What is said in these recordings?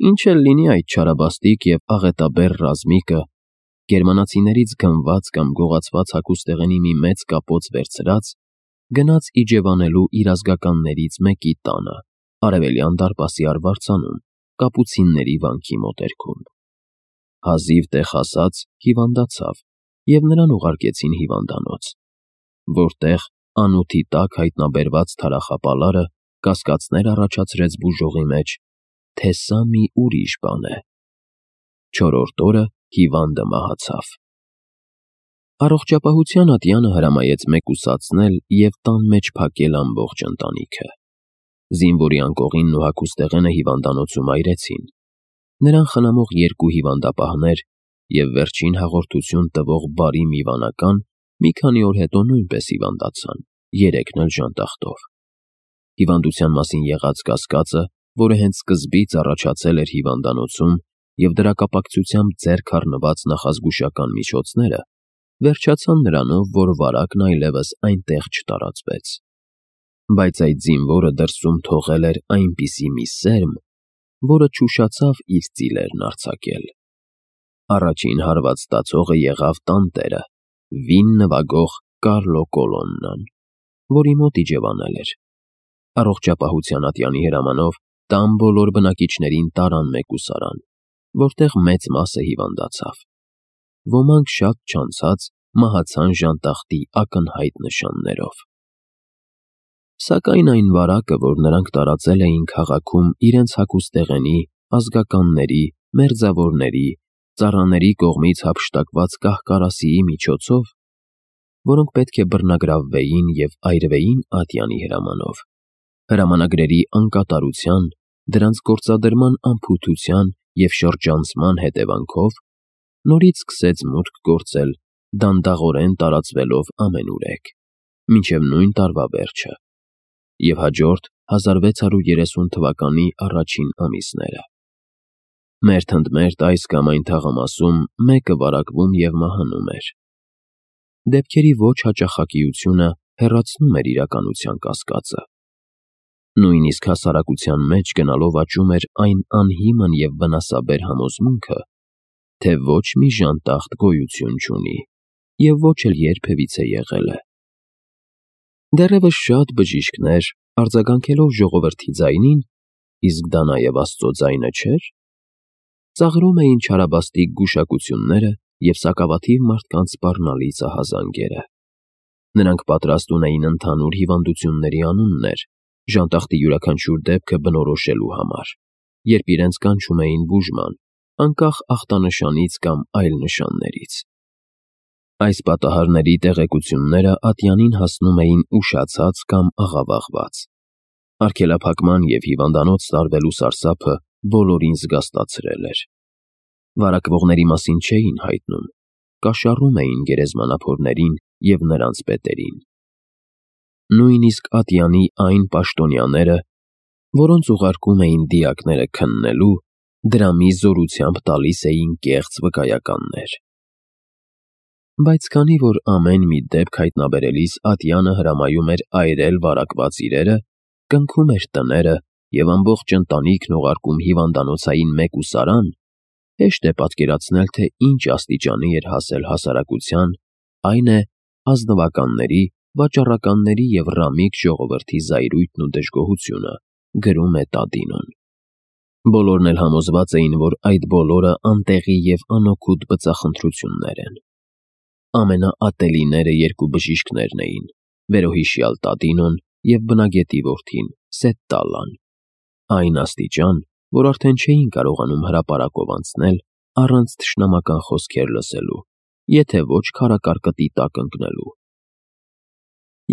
Ինչ էլ լինի այդ չարաբաստիկ և աղետաբեռ ռազմիկը, գերմանացիներից գնված կամ գողացված հագուստեղենի մի մեծ կապոց վերցրած, գնաց իջևանելու իր ազգականներից մեկի տանը, Արևելյան դարպասի արվարձանում, կապուցինների վանքի մոտերքում։ Հազիվ տեղ հասած հիվանդացավ, և նրան ուղարկեցին հիվանդանոց, որտեղ անութի տակ հայտնաբերված թարախապալարը կասկածներ առաջացրեց բուժողի մեջ, թե սա մի ուրիշ բան է։ Չորրորդ օրը հիվանդը մահացավ։ Առողջապահության ատյանը հրամայեց մեկուսացնել և տան մեջ փակել ամբողջ ընտանիքը։ Զինվորի անկողինն ու հագուստեղենը հիվանդանոցում այրեցին։ Նրան խնամող երկու հիվանդապահներ և վերջին հաղորդություն տվող բարի մի վանական մի քանի օր հետո նույնպես հիվանդացան, երեքն էլ ժանտախտով։ Հիվանդության մասին եղած կասկածը, որը հենց սկզբից առաջացել էր հիվանդանոցում և դրա կապակցությամբ ձեռք առնված նախազգուշական միջոցները, վերջացան նրանով, որ վարակն այլևս այնտեղ չտարածվեց։ Բայց այդ զինվորը դրսում թողել էր այնպիսի մի սերմ, որը չուշացավ իր ծիլերն արձակել։ Առաջին հարված ստացողը եղավ տանտերը, վին նվագող Կարլո Կոլոննան, որի մոտ իջևանել էր։ Առողջապահության ատյանի հրամանով տան բոլոր բնակիչներին տարան մեկուսարան, որտեղ մեծ մասը հիվանդացավ։ Ոմանք շատ չանցած մահացան ժանտախտի ակնհայտ նշաններով։ Սակայն այն վարակը, որ նրանք տարածել էին քաղաքում իրենց հագուստեղենի, ազգականների, մերձավորների, ծառաների կողմից հափշտակված կահ-կարասիի միջոցով, որոնք պետք է բռնագրավվեին և այրվեին ատյանի հրամանով, հրամանագրերի անկատարության, դրանց գործադրման անփութության և շրջանցման հետևանքով, նորից սկսեց մուտք գործել, դանդաղորեն տարածվելով ամենուրեք, մինչև նույն տարվա վերջը և հաջորդ 1630 թվականի առաջին ամիսները։ Մերթ ընդ մերթ այս կամ այն թաղամասում մեկը վարակվում և մահանում էր։ Դեպքերի ոչ հաճախակիությունը հեռացնում էր իրականության կասկածը։ Նույնիսկ հասարակության մեջ գնալով աճում էր այն անհիմն և վնասաբեր համոզմունքը, թե ոչ մի ժանտախտ գոյություն չունի և ոչ էլ երբևիցե եղել է։ Դեռևս շատ բժիշկներ, արձագանքելով ժողովրդի ձայնին, իսկ դա նաև Աստծո ձայնը չէր, ծաղրում էին չարաբաստիկ գուշակությունները և սակավաթիվ մարդկանց սպառնալից ահազանգերը։ Նրանք պատրաստ ունեին ընդհանուր հիվանդությունների անուններ, ժանտախտի յուրաքանչյուր դեպքը բնորոշելու համար, երբ իրենց կանչում էին բուժման, անկախ ախտանշանից կամ այլ նշաններից։ Այս պատահարների տեղեկությունները ատյանին հասնում էին ուշացած կամ աղավաղված։ Արգելափակման և հիվանդանոց տարվելու սարսափը բոլորին զգաստացրել էր։ Վարակվողների մասին չէին հայտնում, կաշառում էին գերեզմանափորներին և նրանց պետերին։ Նույնիսկ ատյանի այն պաշտոնյաները, որոնց ուղարկում էին դիակները քննելու, դրամի զորությամբ տալիս էին կեղծ վկայականներ։ Բայց քանի որ ամեն մի դեպք հայտնաբերելիս ատյանը հրամայում էր այրել վարակված իրերը, կնքում էր տները և ամբողջ ընտանիքն ուղարկում հիվանդանոցային մեկուսարան, հեշտ է պատկերացնել, թե ինչ աստիճանի էր հասել հասարակության, այն է, ազնվականների, վաճառականների և ռամիկ ժողովրդի զայրույթն ու դժգոհությունը, գրում է Տադինոն։ Բոլորն էլ համոզված էին, որ այդ բոլորը անտեղի և անօգուտ բծախնդրություններ են։ Ամենաատելիները երկու բժիշկներն էին՝ վերոհիշյալ Տադինոն և բնագետի որդին՝ Սետտալլան, այն աստիճան, որ արդեն չէին կարողանում հրապարակով անցնել առանց թշնամական խոսքեր լսելու, եթե ոչ քարակարկտի տակ ընկնելու։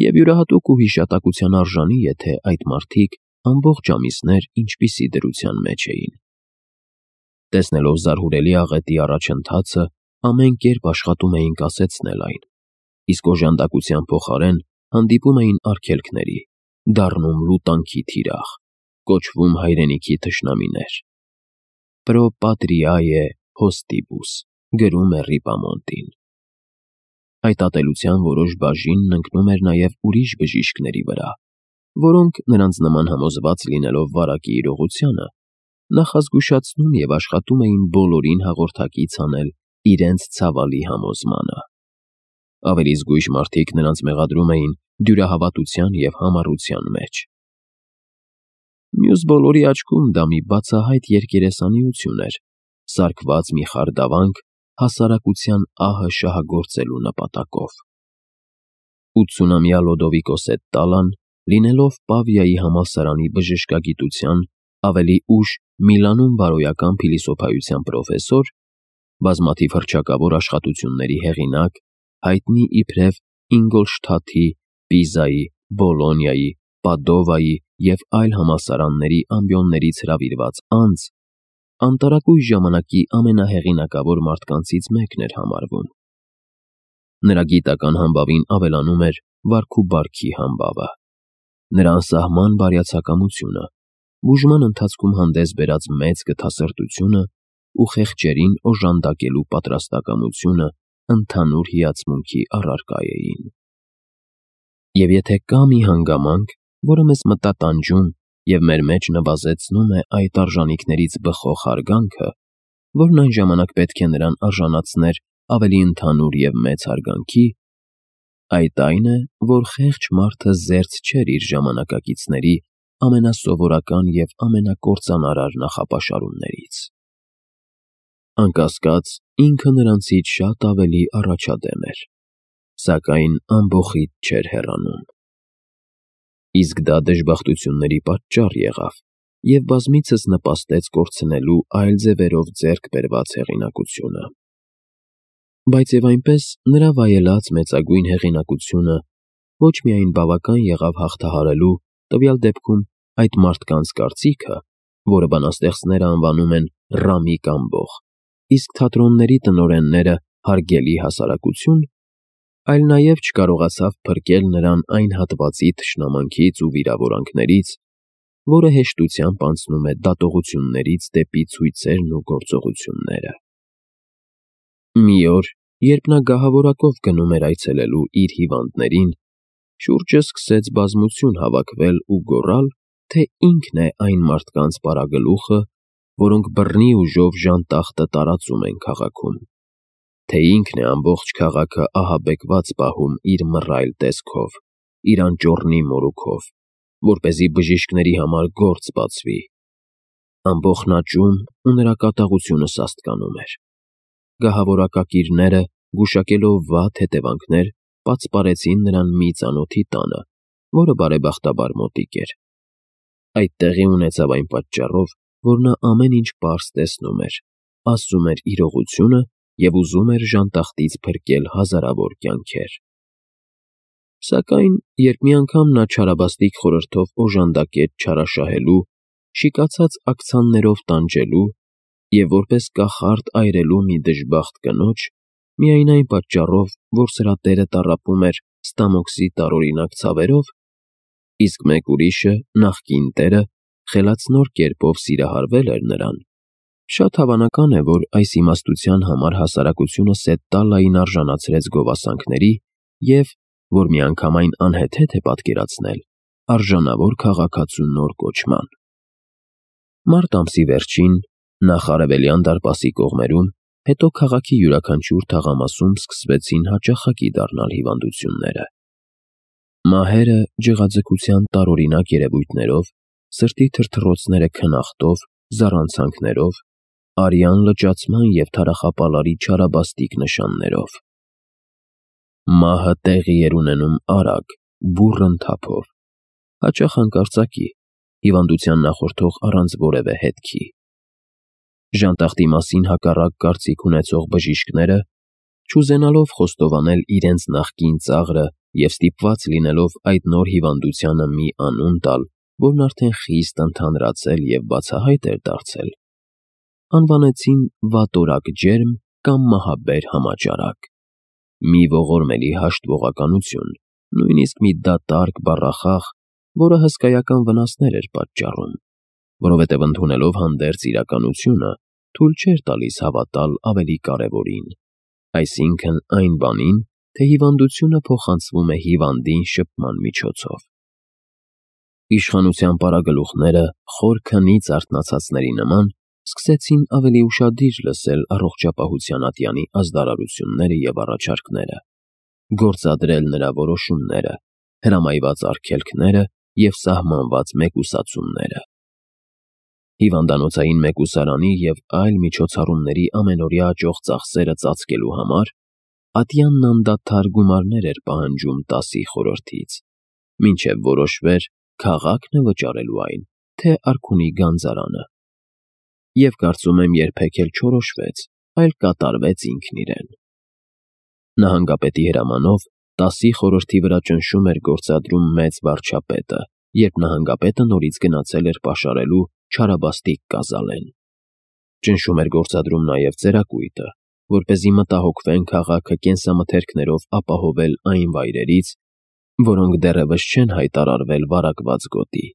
Եվ յուրահատուկ ու հիշատակության արժանի է, թե այդ մարդիկ ամբողջ ամիսներ ինչպիսի դրության մեջ էին։ Տեսնելով զարհուրելի աղետի առաջընթացը, ամեն կերպ աշխատում էին կասեցնել այն, իսկ օժանդակության փոխարեն հանդիպում էին արգելքների, դառնում լուտանքի թիրախ, կոչվում հայրենիքի թշնամիներ։ Pro patriae hostibus, գրում է Ռիպամոնտին։ Այդ ատելության որոշ բաժինն ընկնում էր նաև ուրիշ բժիշկների վրա, որոնք, նրանց նման համոզված լինելով վարակի իրողությանը, նախազգուշացնում և աշխատում էին բոլորին հաղորդակից անել իրենց ցավալի համոզմանը։ Ավելի զգույշ մարդիկ նրանց մեղադրում էին դյուրահավատության և համառության մեջ։ Մյուս բոլորի աչքում դա մի բացահայտ երկերեսանիություն էր, սարքված մի խարդավանք հասարակության ահը շահագործելու նպատակով։ 80-ամյա Լոդովիկոս Էտտալան, լինելով Պավիայի համալսարանի բժշկագիտության, ավելի ուշ Միլանում բարոյական փիլիսոփայության պրոֆեսոր, բազմաթիվ հռչակավոր աշխատությունների հեղինակ, հայտնի իբրև Ինգոլշթաթի, Պիզայի, Բոլոնիայի, Պադովայի և այլ համալսարանների ամբիոններից հրավիրված անձ, անտարակույս ժամանակի ամենահեղինակավոր մարդկանցից մեկն էր համարվում։ Նրա գիտական համբավին ավելանում էր վարք ու բարքի համբավը, նրա անսահման բարյացակամությունը, բուժման ընթացքում հանդես բերած մեծ գթասրտությունը ու խեղճերին օժանդակելու պատրաստակամությունը ընդհանուր հիացմունքի առարկա էին։ Եվ եթե կա մի հանգամանք, որը մեզ մտատանջում և մեր մեջ նվազեցնում է այդ արժանինքներից բխող հարգանքը, որն այն ժամանակ պետք է նրան արժանացներ ավելի ընդհանուր և մեծ հարգանքի, այդ այն է, որ խեղճ մարդը զերծ չէր իր ժամանակակիցների ամենասովորական և ամենակործանարար նախապաշարումներից։ Անկասկած, ինքը նրանցից շատ ավելի առաջադեմ էր, սակայն ամբոխիդ չէր հեռանում։ Իսկ դա դժբախտությունների պատճառ եղավ և բազմիցս նպաստեց կորցնելու այլ ձևերով ձեռք բերված հեղինակությունը։ Բայց և այնպես նրա վայելած մեծագույն հեղինակությունը ոչ միայն բավական եղավ հաղթահարելու տվյալ դեպքում այդ մարդկանց կարծիքը, որը բանաստեղծները անվանում են «ռամիկ ամբոխ», իսկ թատրոնների տնօրենները «հարգելի հասարակություն», այլ նաև չկարողացավ փրկել նրան այն հատվածի թշնամանքից ու վիրավորանքներից, որը հեշտությամբ անցնում է դատողություններից դեպի ցույցերն ու գործողությունները։ Մի օր, երբ նա գահավորակով գնում էր այցելելու իր հիվանդներին, շուրջը սկսեց բազմություն հավաքվել ու գոռալ, թե ինքն է այն մարդկանց պարագլուխը, որոնք բռնի ուժով ժանտախտը տարածում են քաղաքում, թե ինքն է ամբողջ քաղաքը ահաբեկված պահում իր մռայլ տեսքով, իր անճոռնի մորուքով, որպեսզի բժիշկների համար գործ բացվի։ Ամբոխն աճում ու նրա կատաղությունը սաստկանում էր։ Գահավորակակիրները, գուշակելով վատ հետևանքներ, պատսպարեցին նրան մի ծանոթի տանը, որը բարեբախտաբար մոտիկ էր։ Այդ տեղի ունեցավ այն պատճառով, որ նա ամեն ինչ պարզ տեսնում էր, ասում էր իրողությունը և ուզում էր ժանտախտից փրկել հազարավոր կյանքեր։ Սակայն, երբ մի անգամ նա չարաբաստիկ խորհրդով օժանդակեց չարաշահելու, շիկացած աքցաններով տանջելու և որպես կախարդ այրելու մի դժբախտ կնոջ, միայն այն պատճառով, որ սրա տերը տառապում էր Ստամոքսի տարօրինակ ցավերով, իսկ մեկ ուրիշը, նախկին տերը, խելացնոր կերպով սիրահարվել էր նրան, շատ հավանական է, որ այս իմաստության համար հասարակությունը Սետտալային արժանացրեց գովասանքների և, որ միանգամայն անհեթեթ է պատկերացնել, արժանավոր քաղաքացու նոր կոչման։ Մարտ ամսի վերջին, նախ Արևելյան դարպասի կողմերում, հետո քաղաքի յուրաքանչյուր թաղամասում սկսվեցին հաճախակի դառնալ հիվանդությունները։ Մահերը ջղաձգության տարօրինակ երևույթներով, սրտի թրթռոցները քնախտով, զառանցանքներով, արյան լճացման և թարախապալարի չարաբաստիկ նշաններով։ Մահը տեղի էր ունենում արագ, բուռն թափով, հաճախ հանկարծակի, հիվանդության նախորդող առանց որևէ հետքի։ Ժանտախտի մասին հակառակ կարծիք ունեցող բժիշկները, չուզենալով խոստովանել իրենց նախկին ծաղրը և ստիպված լինելով այդ նոր հիվանդությանը մի անուն տալ, որն արդեն խիստ ընդհանրացել և բացահայտ էր դարձել, անվանեցին վատորակ ջերմ կամ մահաբեր համաճարակ, մի ողորմելի հաշտվողականություն, նույնիսկ մի դատարկ բառախաղ, որը հսկայական վնասներ էր պատճառում, որովհետև ընդունելով հանդերձ իրականությունը, թույլ չէր տալիս հավատալ ավելի կարևորին, այսինքն այն բանին, թե հիվանդությունը փոխանցվում է հիվանդին շփման միջոցով։ Իշխանության պարագլուխները, խոր քնից արթնացածների նման, սկսեցին ավելի ուշադիր լսել առողջապահության ատյանի ազդարարությունները և առաջարկները, գործադրել նրա որոշումները, հրամայված արգելքները և սահմանված մեկուսացումները։ Հիվանդանոցային մեկուսարանի և այլ միջոցառումների ամենօրյա աճող ծախսերը ծածկելու համար ատյանն անդադար գումարներ էր պահանջում 10-ի խորհրդից, մինչև որոշվեր քաղաքն է վճարելու այն, թե արքունի գանձարանը։ Եվ կարծում եմ երբեք էլ չորոշվեց, այլ կատարվեց ինքն իրեն։ Նահանգապետի հրամանով 10-ի խորհրդի վրա ճնշում էր գործադրում մեծ վարչապետը, երբ նահանգապետը նորից գնացել էր պաշարելու չարաբաստիկ կազալեն։ Ճնշում էր գործադրում նաև ծերակույտը, որպեսզի մտահոգվեն քաղաքը կենսամթերքներով ապահովել այն վայրերից, որոնք դեռևս չեն հայտարարվել վարակված գոտի,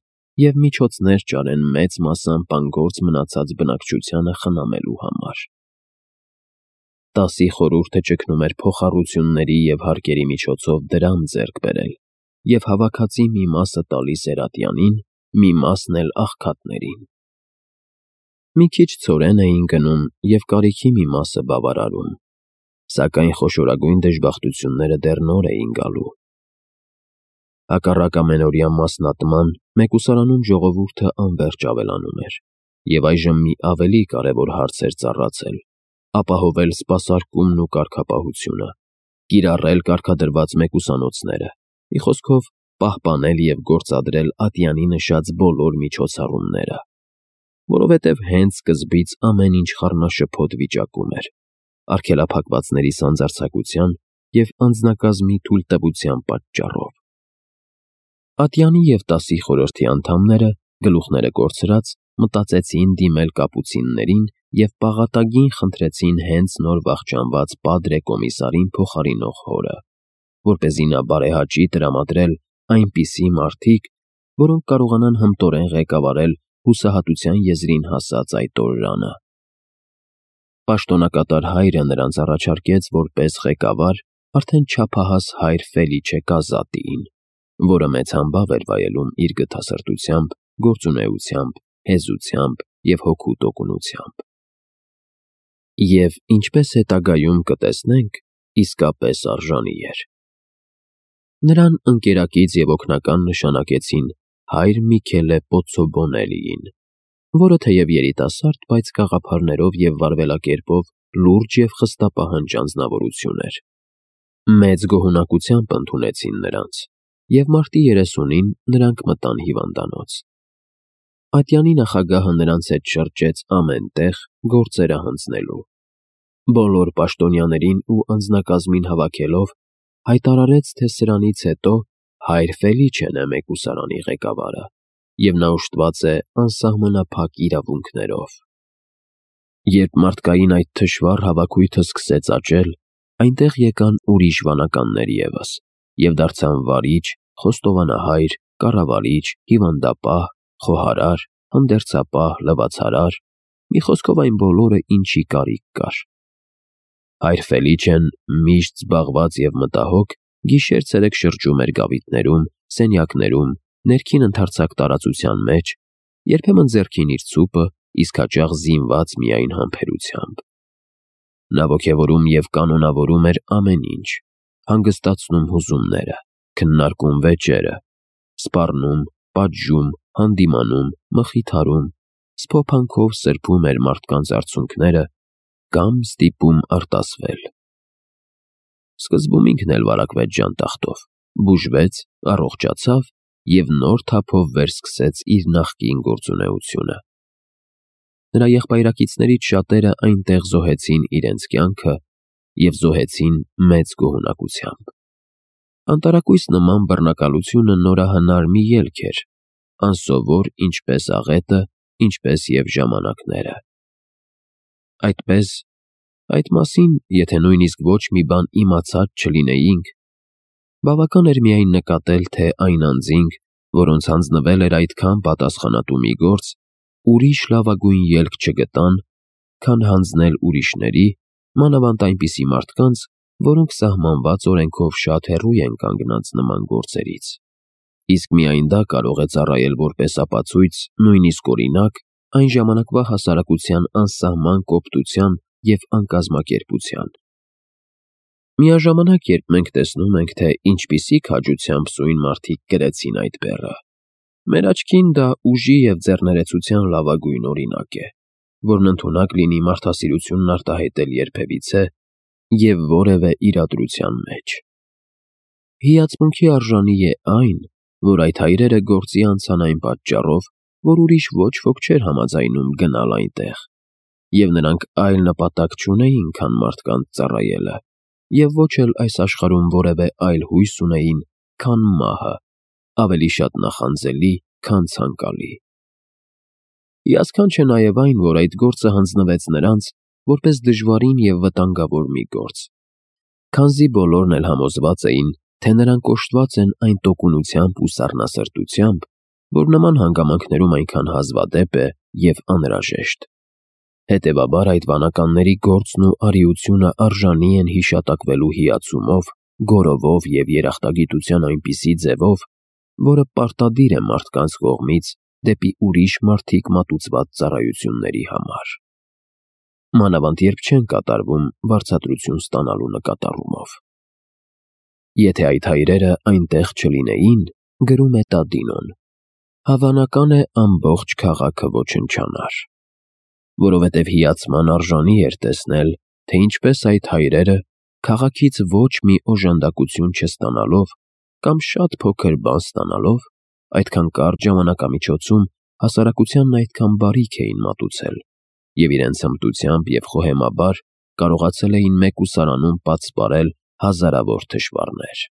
և միջոցներ ճարեն մեծ մասամբ անգործ մնացած բնակչությանը խնամելու համար։ 10-ի խորհուրդը ճգնում էր փոխառությունների և հարկերի միջոցով դրամ ձեռք բերել և հավաքածի մի մասը տալիս էր ատյանին, մի մասն էլ աղքատներին։ Մի քիչ ցորեն էին գնում և կարիքի մի մասը բավարարում, սակայն խոշորագույն դժբախտությունները դեռ նոր էին գալու։ Հակառակ ամենօրյա մասնատման, մեկուսարանում ժողովուրդը անվերջ ավելանում էր, և այժմ մի ավելի կարևոր հարց էր ծառացել՝ ապահովել սպասարկումն ու կարգապահությունը, կիրառել կարգադրված մեկուսանոցները, մի խոսքով, պահպանել և գործադրել ատյանի նշած բոլոր միջոցառումները, որովհետև հենց սկզբից ամեն ինչ խառնաշփոթ վիճակում էր, արգելափակվածների սանձարձակության և անձնակազմի թույլտվության պատճառով։ Ատյանի և 10-ի խորհրդի անդամները, գլուխները կորցրած, մտածեցին դիմել կապուցիններին և պաղատագին խնդրեցին հենց նոր վախճանված Պատրե կոմիսարին փոխարինող հորը, որպեսզի նա բարեհաճի տրամադրել այնպիսի մարդիկ, որոնք կարողանան հմտորեն ղեկավարել հուսահատության եզրին հասած այդ օրրանը։ Պաշտոնակատար հայրը նրանց առաջարկեց որպես ղեկավար արդեն չափահաս հայր Ֆելիչե Կազատիին, որը մեծ համբավ էր վայելում իր գթասրտությամբ, գործունեությամբ, հեզությամբ և հոգու տոկունությամբ։ Եվ, ինչպես հետագայում կտեսնենք, իսկապես արժանի էր։ Նրան ընկերակից և օգնական նշանակեցին հայր Միքելե Պոցոբոնելիին, որը թեև երիտասարդ, բայց գաղափարներով և վարվելակերպով լուրջ և խստապահանջ անձնավորություն էր։ Մեծ գոհունակությամբ ընդունեցին նրանց, և մարտի 30-ին նրանք մտան հիվանդանոց։ Ատյանի նախագահը նրանց հետ շրջեց ամեն տեղ գործերը հանձնելու։ Բոլոր պաշտոնյաներին ու անձնակազմին հավաքելով, հայտարարեց, թե սրանից հետո հայր Ֆելիչեն է մեկուսարանի ղեկավարը, և նա օժտված է անսահմանափակ իրավունքներով։ Երբ մարդկային այդ թշվառ հավաքույթը սկսեց աճել, այնտեղ եկան ուրիշ վանականներ ևս և դարձան վարիչ, խոստովանահայր, կառավարիչ, հիվանդապահ, խոհարար, հանդերձապահ, լվացարար, մի խոսքով այն բոլորը, ինչի կարիք կար։ Հայր Ֆելիչեն, միշտ զբաղված և մտահոգ, գիշեր-ցերեկ շրջում էր գավիթներում, սենյակներում, ներքին ընդարձակ տարածության մեջ, երբեմն ձեռքին իր ցուպը, իսկ հաճախ զինված միայն համբերությամբ։ Նա ոգևորում և կանոնավորում էր ամեն ինչ, հանգստացնում հուզումները, քննարկում վեճերը, սպառնում, պատժում, հանդիմանում, մխիթարում, սփոփանքով սրբում էր մարդկանց արցունքները կամ ստիպում արտասվել։ Սկզբում ինքն էլ վարակվեց ժանտախտով, բուժվեց, առողջացավ և նոր թափով վերսկսեց իր նախկին գործունեությունը։ Նրա եղբայրակիցներից շատերը այնտեղ զոհեցին իրենց կյանքը և զոհեցին մեծ գոհունակությամբ։ Անտարակույս նման բռնակալությունը նորահնար մի ելք էր, անսովոր ինչպես աղետը, ինչպես և ժամանակները։ Այդպես, այդ մասին, եթե նույնիսկ ոչ մի բան իմացած չլինեինք, բավական էր միայն նկատել, թե այն անձինք, որոնց հանձնվել էր այդքան պատասխանատու մի գործ, ուրիշ լավագույն ելք չգտան, քան հանձնել ուրիշների, մանավանդ այնպիսի մարդկանց, որոնք սահմանված օրենքով շատ հեռու են կանգնած նման գործերից։ Իսկ միայն դա կարող է ծառայել որպես ապացույց, նույնիսկ օրինակ, այն ժամանակվա հասարակության անսահման կոպտության և անկազմակերպության։ Միաժամանակ, երբ մենք տեսնում ենք, թե ինչպիսի քաջությամբ սույն մարդիկ կրեցին այդ բեռը, մեր աչքին դա ուժի և ձեռներեցության լավագույն օրինակ է, որն ընդունակ լինի մարդասիրությունն արտահայտել երբևիցե և որևէ իրադրության մեջ։ Հիացմունքի արժանի է այն, որ այդ հայրերը գործի անցան այն պատճառով, որ ուրիշ ոչ ոք չէր համաձայնում գնալ այնտեղ, և նրանք այլ նպատակ չունեին, քան մարդկանց ծառայելը, և ոչ էլ այս աշխարհում որևէ այլ հույս ունեին, քան մահը, ավելի շատ նախանձելի, քան ցանկալի։ Հիասքանչ է նաև այն, որ այդ գործը հանձնվեց նրանց, որպես դժվարին և վտանգավոր մի գործ, քանզի բոլորն էլ համոզված էին, թե նրանք օժտված են այն տոկունությամբ ու սառնասրտությամբ, որ նման հանգամանքներում այնքան հազվադեպ է և անհրաժեշտ։ Հետևաբար այդ վանականների գործն ու արիությունը արժանի են հիշատակվելու հիացումով, գոռովով և երախտագիտության այնպիսի ձևով, որը պարտադիր է մարդկանց կողմից դեպի ուրիշ մարդիկ մատուցված ծառայությունների համար, մանավանդ երբ չեն կատարվում վարձատրություն ստանալու նկատառումով։ Եթե այդ հայրերը այնտեղ չլինեին, գրում է Տադինոն, հավանական է ամբողջ քաղաքը ոչնչանար, որովհետև հիացման արժանի էր տեսնել, թե ինչպես այդ հայրերը, քաղաքից ոչ մի օժանդակություն չստանալով կամ շատ փոքր բան ստանալով, այդքան կարճ ժամանակամիջոցում հասարակությանն այդքան բարիք էին մատուցել և իրենց հմտությամբ և խոհեմաբար կարողացել էին մեկուսարանում պատսպարել հազարավոր թշվառներ։